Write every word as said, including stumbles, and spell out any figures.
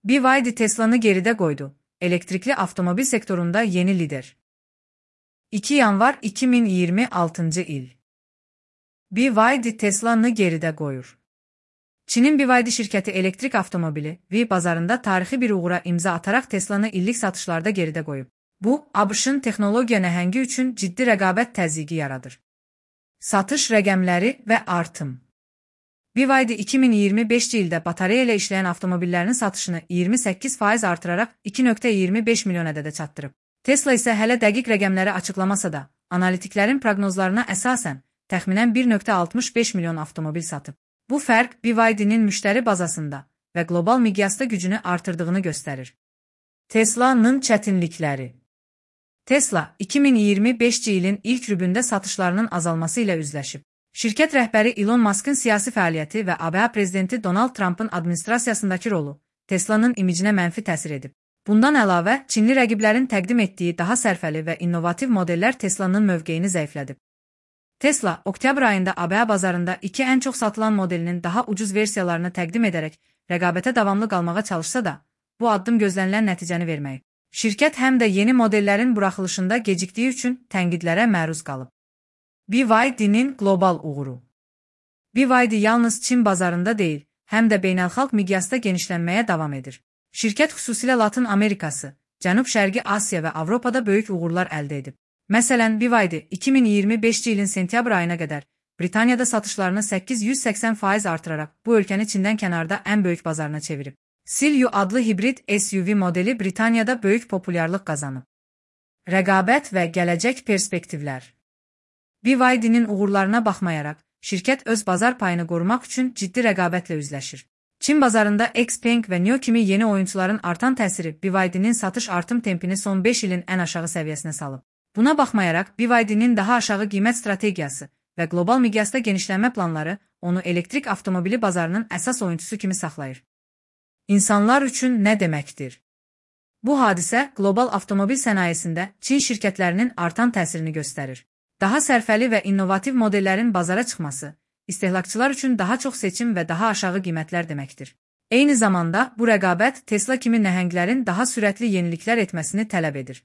B Y D Tesla'nı geride koydu. Elektrikli avtomobil sektöründe yeni lider. iki yanvar iki bin iyirmi altıncı il. B Y D Tesla'nı geride koyur. Çin'in B Y D şirketi elektrik avtomobili V bazarında tarihi bir uğura imza atarak Tesla'nı illik satışlarda geride koyub. Bu, A B Ş'ın texnologiya nəhəngi üçün ciddi rəqabət təzyiqi yaradır. Satış rəqəmləri və artım. B Y D iki bin iyirmi beşinci ildə batareya ilə işləyən avtomobillərinin satışını iyirmi səkkiz faiz artıraraq iki nöqtə iyirmi beş milyon ədədə çatdırıb. Tesla isə hələ dəqiq rəqəmləri açıqlamasa da, analitiklərin proqnozlarına əsasən təxminən bir nöqtə altmış beş milyon avtomobil satıb. Bu fərq B Y D'nin müştəri bazasında və qlobal miqyasda gücünü artırdığını göstərir. Tesla'nın çətinlikləri. Tesla, iki bin iyirmi beşinci ilin ilk rübündə satışlarının azalması ilə üzləşib. Şirkət rəhbəri Elon Musk'ın siyasi fəaliyyəti və A B A prezidenti Donald Trump'ın administrasiyasındakı rolu Tesla'nın imicinə mənfi təsir edib. Bundan əlavə, Çinli rəqiblərin təqdim etdiyi daha sərfəli və innovativ modellər Tesla'nın mövqeyini zəiflədib. Tesla, oktyabr ayında A B A bazarında iki ən çox satılan modelinin daha ucuz versiyalarını təqdim edərək rəqabətə davamlı qalmağa çalışsa da, bu addım gözlənilən nəticəni verməyib. Şirkət həm də yeni modellərin buraxılışında gecikdiyi üçün tənqidlərə məruz qalıb. B Y D'nin qlobal uğuru. B Y D yalnız Çin bazarında deyil, həm də beynəlxalq miqyasda genişlənməyə davam edir. Şirkət xüsusilə Latın Amerikası, Cənub-Şərqi Asiya və Avropada böyük uğurlar əldə edib. Məsələn, B Y D iki min iyirmi beşinci ilin sentyabr ayına qədər Britaniyada satışlarını səkkiz yüz səksən faiz artıraraq bu ölkəni Çindən kənarda ən böyük bazarına çevirib. Silvio adlı hibrid S U V modeli Britaniyada böyük populyarlıq qazanıb. Rəqabət və gələcək perspektivlər. B Y D'nin uğurlarına baxmayaraq, şirkət öz bazar payını qorumaq üçün ciddi rəqabətlə üzləşir. Çin bazarında Xpeng və Nio kimi yeni oyuncuların artan təsiri B Y D'nin satış artım tempini son beş ilin ən aşağı səviyyəsinə salıb. Buna baxmayaraq, B Y D'nin daha aşağı qiymət strategiyası və qlobal miqyasda genişlənmə planları onu elektrik avtomobili bazarının əsas oyuncusu kimi saxlayır. İnsanlar üçün nə deməkdir? Bu hadisə qlobal avtomobil sənayesində Çin şirkətlərinin artan təsirini göstərir. Daha sərfəli və innovativ modellərin bazara çıxması, istehlakçılar üçün daha çox seçim və daha aşağı qiymətlər deməkdir. Eyni zamanda, bu rəqabət Tesla kimi nəhənglərin daha sürətli yeniliklər etməsini tələb edir.